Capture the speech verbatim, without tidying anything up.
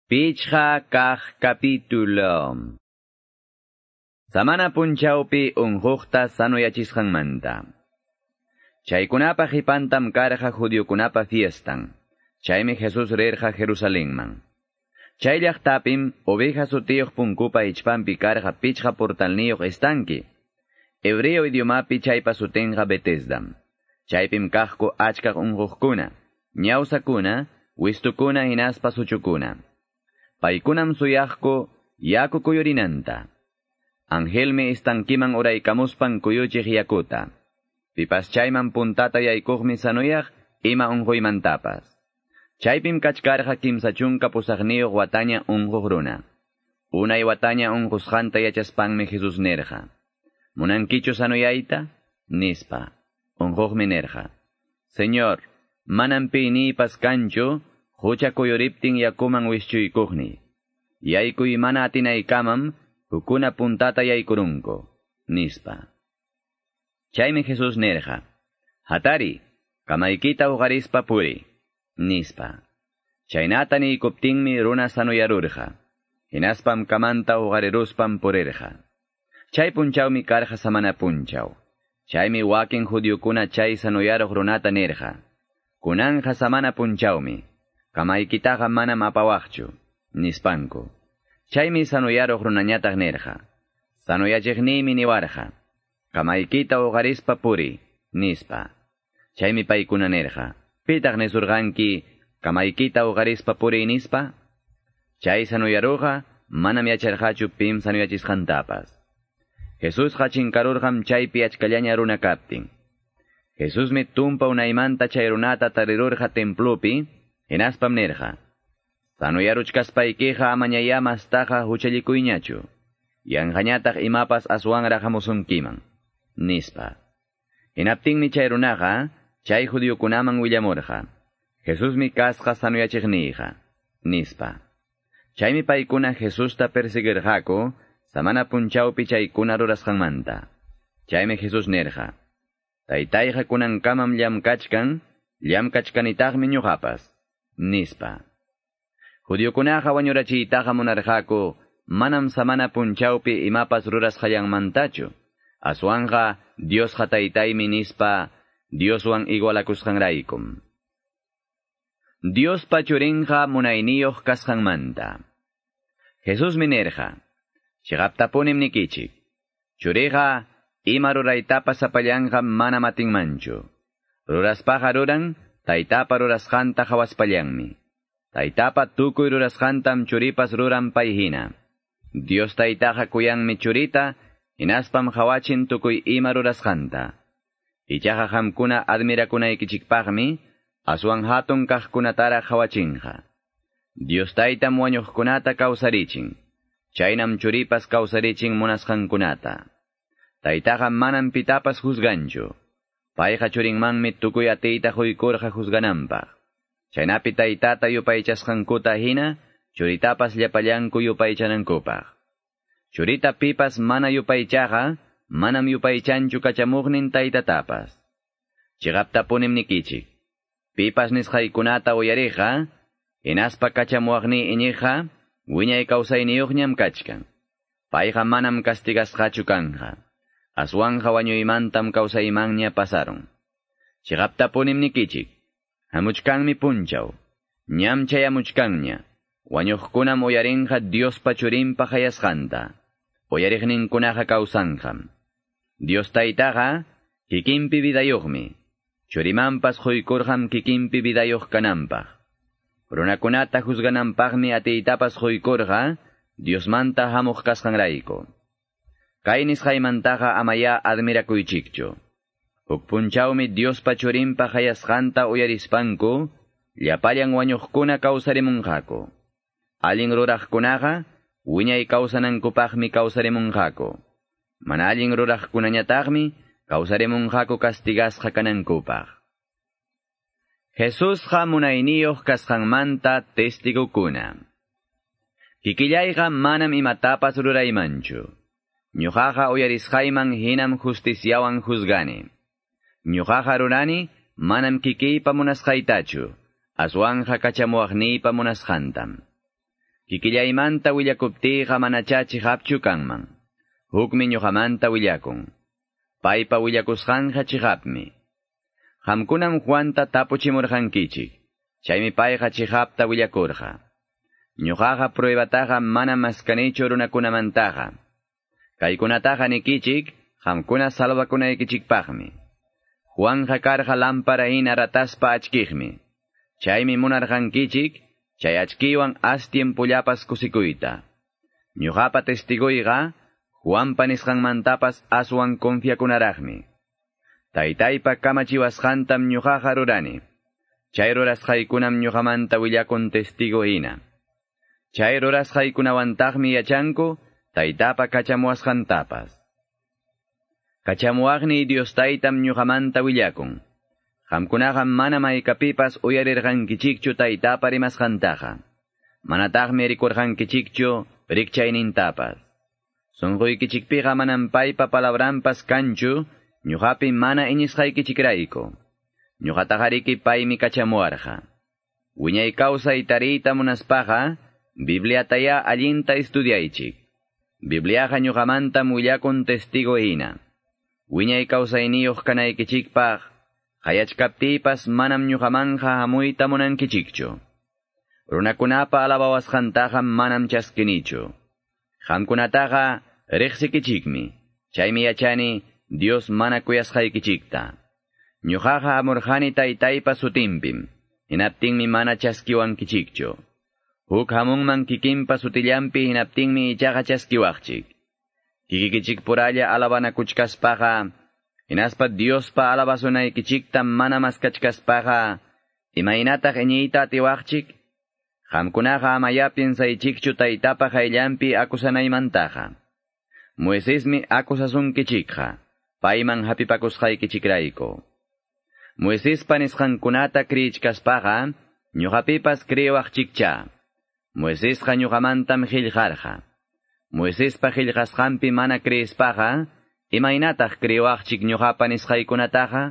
Pichqa kaq capítulo. Samana punchawpi unquqta sanuyachisqanmanta. Chaykunapa qipantam karqa judiokunapa fiestan. Chaymi Jesús rirqa Jerusalenman. Chay llaqtapim oveja sutiyuq punkupa ichpanpi karqa pichqa portalniyuq estanque. Hebreo idiomapi chaypa sutinqa Betesdam. Chaypim kaqku achkaq unquqkuna, ñawsakuna, wistukuna hinaspa suchukuna. Paykunam suyaqku yaku kuyurinanta. Angelmi estankiman uraykamuspan kuyuchiq yakuta. Pipas chayman puntata yaykuqmi sanuyaq ima unquymantapas. Chaypim kachkarqa kimsa chunka pusaqniyuq wataña unquq runa. Unay wataña unqusqanta yachaspanmi Jesús nirqa: ¿Munankichu sanuyayta? Nispa. Unquqmi nirqa: Señor, manam piyniypas kanchu hucha kuyuriptin yakuman wischuykuqni. Yaykuy mana atinaykamam hukuna puntata yaykurunku, nispa. Chaymi Jesús nirqa: Hatari, kamaykita uqarispa puri, nispa. Chaynata niykuptinmi runa sanuyarurqa. Hinaspam kamanta uqariruspam purirqa. Chay punchawmi karqa samana punchaw. Chaymi wakin judiokuna chay sanuyaruq runata nirqa: Kunanja samana punchawmi. Kamaykitaqa manam apawaqchu, nispanku. Chaymi sanuyaruq runañataq nirqa: Sanuyachiqniymi niwarqa: Kamaykita uqarispa puri, nispa. Chaymi paykuna nirqa: Pitaq nisurqanki kamaykita uqarispa puri, nispa? Chay sanuyaruqa manam yacharqachu pim sanuyachisqantapas. Jesusqa chinkarurqam chaypi achkallaña runa kaptin. Jesusmi tumpa unaymanta chay runata tarirurqa templopi, hinaspam nirqa: Sanuyaruchkaspaykiqa amañayá mastaqa huchallikuyñachu. Yanqañataq imapas aswanraq hamusunkiman, nispa. Hinaptinmi chay runaqa chay judiokunaman willamurqa: Jesusmi kasqa sanuyachiqniyqa, nispa. Chaymi paykuna Jesusta persiguirqaku samana punchawpi chaykuna rurasqanmanta. Chaymi Jesús nirqa: Taytayqa kunankamam llamkachkan, llamkachkanitaqmi ñuqapas, nispa. Judiokunaqa wañurachiytaqa munarqaku manam samana punchawpi imapas rurasqallanmantachu. Aswanqa Diosqa taytaymi nispa Dioswan igualakusqanraykum. Diospa churinqa munayniyuq kasqanmanta. Jesusmi nirqa: Chiqaptapunim nikichik, churiqa ima ruraytapas sapallanqa manam atinmanchu. Ruraspaqa ruran taytapa rurasqanta hawaspallanmi. Taytapa tukuy rurasqantam churipas ruran payhina. Dios taytaqa kuyanmi churita, hinaspam hawachin tukuy ima rurasqanta. Ichaqa qamkuna admirakunaykichikpaqmi aswan hatun kaqkunataraq hawachinqa. Dios taytam wañuqkunata kawsarichin. Chaynam churipas kawsarichin munasqankunata. Taytaqa manam pitapas juzganchu. Payqa churinmanmi tukuy atiyta quykurqa juzgananpaq. Chaynapi taytata yupaychasqankuta hina, churitapas llapallanku yupaychanankupaq. Churita pipas mana yupaychaqa, manam yupaychanchu kachamuqnin taytatapas. Chiqaptapunim nikichik, pipas nisqaykunata uyariqqa, hinaspa kachamuqniy iñiqqa, wiñay kawsayniyuqñam kachkan. Payqa manam castigasqachu kanja. Aswanja wañuymantam kawsaymanña pasarun. Chiqaptapunim nikichik, hamuchkanmi punchaw, ñam chayamuchkanña, wañuqkunam uyarinqa Diospa churinpa hayasqanta, uyariqninkunaqa kawsanqam. Dios taytaqa kikinpi vidayuqmi, churimanpas quykurqam kikinpi vidayuq kananpaq. Runakunata juzgananpaqmi atiytapas quykurqa Diosmanta hamuq kasqanrayku. Kay nisqaymantaqa amayá admirakuychikchu. Huk punchawmi Diospa churinpa hayasqanta uyarispanku, llapallan wañuqkuna kawsarimunqaku. Allin ruraqkunaqa wiñay kawsanankupaqmi kawsarimunqaku. Mana allin ruraqkunañataqmi kawsarimunqaku castigasqa kanankupaq. Jesusqa munayniyuq kasqanmanta testigokuna. Kikillayqa manam imatapas ruraymanchu. Ñuqaqa uyarisqayman hinam justiciawan juzgani. Ñuqaqa rurani manam kikiypa munasqaytachu, aswanja kachamuwaqniypa munasqantam. Kikillaymanta willakuptiyqa manachá chiqapchu kanman. Hukmi ñuqamanta willakun. Paypa willakusqanqa chiqapmi. Qamkunam Juanta tapuchimurqankichik. Chaymi payqa chiqapta willakurqa. Ñuqaqa pruebataqa manam maskanichu runakunamantaqa. Kaykunataqa nikichik, qamkuna salvakunaykichikpaqmi. Juanja karqa lámpara hina rataspa achkiqmi. Chaymi munarqankichik, chay achkiwan as tiempollapas kusikuyta. Ñuqapa testiguyqa, Juanpa nisqanmantapas aswan confiakunaraqmi. Taytaypa kamachiwasqantam ñuqaqa rurani. Chay rurasqaykunam ñuqamanta willakun testigo hina. Chay rurasqaykunawantaqmi yachanku taytapa kachamuwasqantapas. Kachamuwaqniy Dios taytam ñuqamanta willakun. Qamkunaqa manam haykapipas uyarirqankichikchu taytapa rimasqantaqa. Manataqmi rikurqankichikchu rikchaynintapas. Sunquykichikpiqa manam paypa palabranpas kanchu, ñuqapi mana iñisqaykichikrayku. Ñuqataqariki paymi kachamuwarqa. Wiñay kawsay tariyta munaspaqa, Bibliatayá allinta estudiaychik. Bibliaqa ñuqamantam willakun testigo hina. Wiñay kawsayniyuq kanaykichikpaq, qayachkaptiypas manam ñuqamanja hamuyta munankichikchu. Runakunapa alabawasqantaqa manam chaskinichu. Qamkunataqa riqsikichikmi. Chaymi yachani Dios mana kuyasqaykichikta. Ñuqaqa hamurqani taytaypa sutinpim. Hinaptinmi mana chaskiwankichikchu. Huk hamunman kikinpa sutillanpi hinaptinmi ichaqa chaskiwaqchik. Kikikichikpuralla alabanakuchkaspaqa, hinaspa Diospa alabasunaykichikta mana maskachkaspaqa, imaynataq iñiyta atiwaqchik? Qamkunaqa amaya piensaychikchu taytapa qayllanpi akusanaymantaqa. Moisesmi akusasunkichikqa, payman hapipakusqaykichikrayku. Moisespa nisqankunata kriyichkaspaqa, ñuqapipas kriyiwaqchikcha. Moisesqa ñuqamantam qillqarqa. Moisespa qillqasqanpi mana kriyispaqa, imaynataq kriyiwaqchik ñuqapa nisqaykunataqa?